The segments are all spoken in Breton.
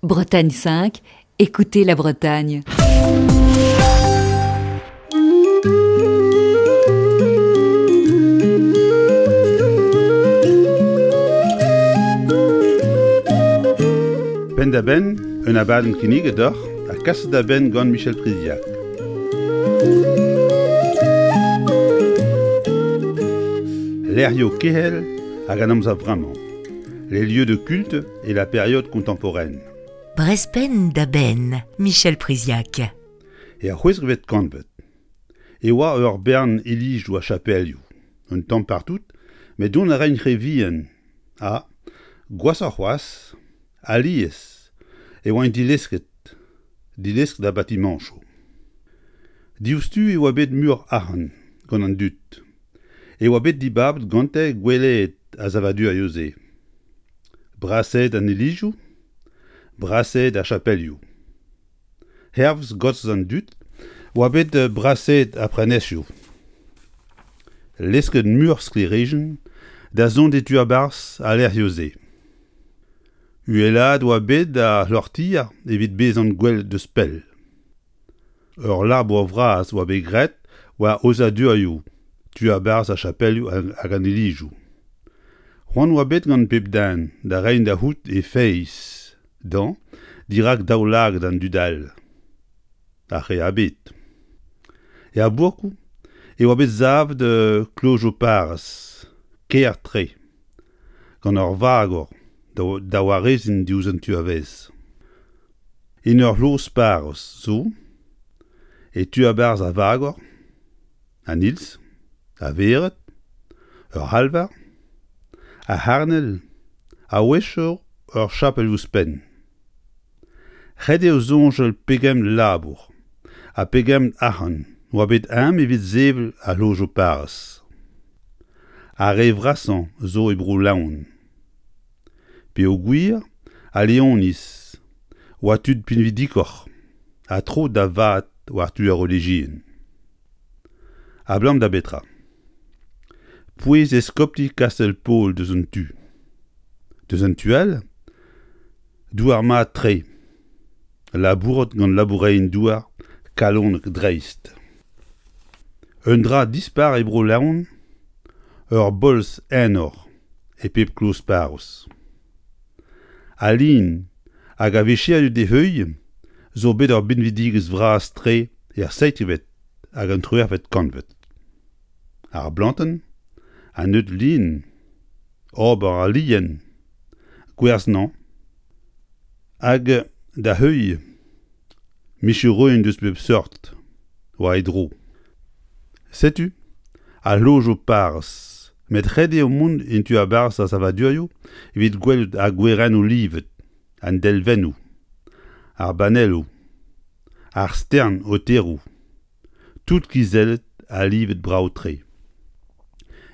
Bretagne 5, écoutez la Bretagne. Penn-da-benn, un abadenn kinniget deoc'h ha kaset da benn gant Michel Priziac. Lec'hioù kehel hag an amzer vremañ. Les lieux de culte et la période contemporaine. Brezpenn da benn, Michel Priziac. Er c'hwezekvet kantved e oa ur bern ilizoù ha chapelioù, un tamm partout, met dont a raent re vihan ha, gwashoc'h c'hoazh, alies e oant dilesket, dilesket ar batimañchoù. Diouzhtu e oa bet muioc'h arc'hant gant an dud. E oa bet dibabet gante gwellaet ar savadurioù-se. Brasaet an ilizoù, brasaet ar chapelioù. Hervez gostez an dud oa bet brasaet ar prenestoù. Lesket muioc'h sklêrijenn da zont e tu a-barzh al lec'hioù-se. Uhelaet oa bet ar c'hloc'htier evit bezañ gwelet deus pell. Ur labour vras oa bet graet war aozadurioù tu a-barzh ar chapelioù hag an ilizoù. C'hoant oa bet gant pep den da reiñ da c'hoût e feiz dezhañ dirak daoulagad an dud all, ar re a bed. Er bourkoù e oa bet savet klojoù-parrez kaer-tre. gant ur vagor da wareziñ diouzh an tu a-vaez. En ur c'hloz-parrez zo, e tu a-barzh ar vagor, an iliz, ar vered, ur c'halvar, ar c'harnel, a-wechoù ur chapel ouzhpenn. Ret eo soñjal pegement labour ha pegement arc'hant oa bet eñ evit sevel ar c'hlojoù-parrez. Ar re vrasañ zo e Bro-Leon. Peogwir al Leoniz oa tud pinvidikoc'h ha tro da vat war tu ar relijion. Abalamour da betra ? Pouez eskopti Kastell-Paol deus un tu. Deus an tu all, douar mat-tre, labourat gant laboureien-douar kalonek-dreist. Un dra dispar e Bro-Leon, ur bolz enor e pep kloz-parrez. Al lin hag ar vicherioù d'e heuilh zo bet ur binvidigezh vras-tre er seizhvet hag an triwec'hvet kantved. Ar blantenn, an neud lin, ober al lien, gwerzhañ hag da heuilh micherourien deus pep seurt war e dro. Setu al lojoù parrez met ret eo mont en tu a-barzh ar savadurioù evit gwelout ar gwerennoù livet, an delvennoù, ar banelloù, ar stern aoteroù. Tout kizellet ha livet brav-tre.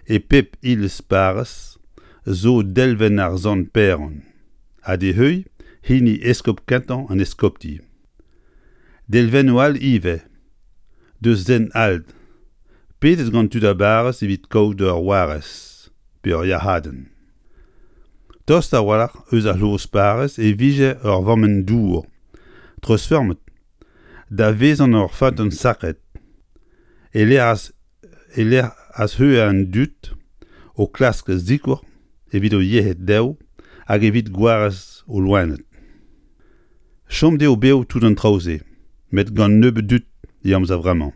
E pep iliz parrez zo delvenn ar sant Paeron ha d'e heuilh hini eskob kentañ an eskopti. Delvennoù all ivez, deus sent all, pedet gant tud ar barrez evit kaout ur warez pe ur yac'hadenn. Tost a-walc'h eus ar c'hloz-parrez e vije ur vammenn dour treuzfeurmet da vezañ ur feunteun sakret e-lec'h e-lec'h an dud o klask sikour evit o yec'hed dezho hag evit gwarez o loened. Chom eo bev tout an traoù-se, met gant nebeut dud e amzer vremañ.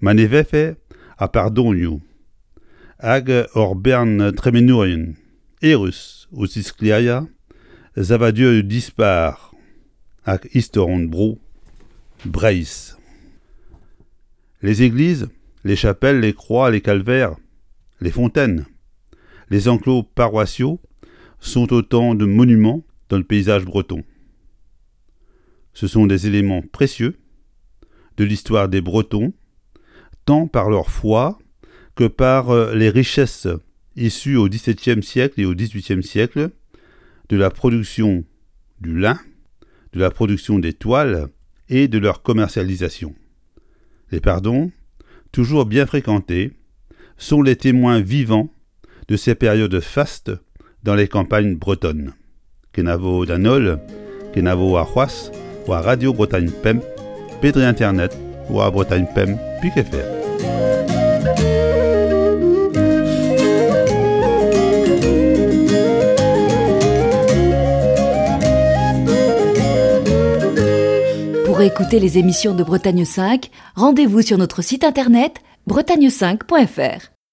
Ma ne vefe ar pardonioù hag ur bern tremenourien Erus o tisklêriañ savadurioù dispar hag istor hon bro, Breizh. Les églises, les chapelles, les croix, les calvaires, les fontaines, les enclos paroissiaux sont autant de monuments dans le paysage breton. Ce sont des éléments précieux de l'histoire des Bretons, tant par leur foi que par euh, les richesses issues au XVIIe siècle et au XVIIIe siècle de la production du lin, de la production des toiles et de leur commercialisation. Les pardons, toujours bien fréquentés, sont les témoins vivants de ces périodes fastes dans les campagnes bretonnes. Kenavo d'an holl, Kenavo warc'hoazh war Radio Bretagne Pemp pe dre internet war bretagne5.fr. Pour écouter les émissions de Bretagne 5, rendez-vous sur notre site internet bretagne5.fr.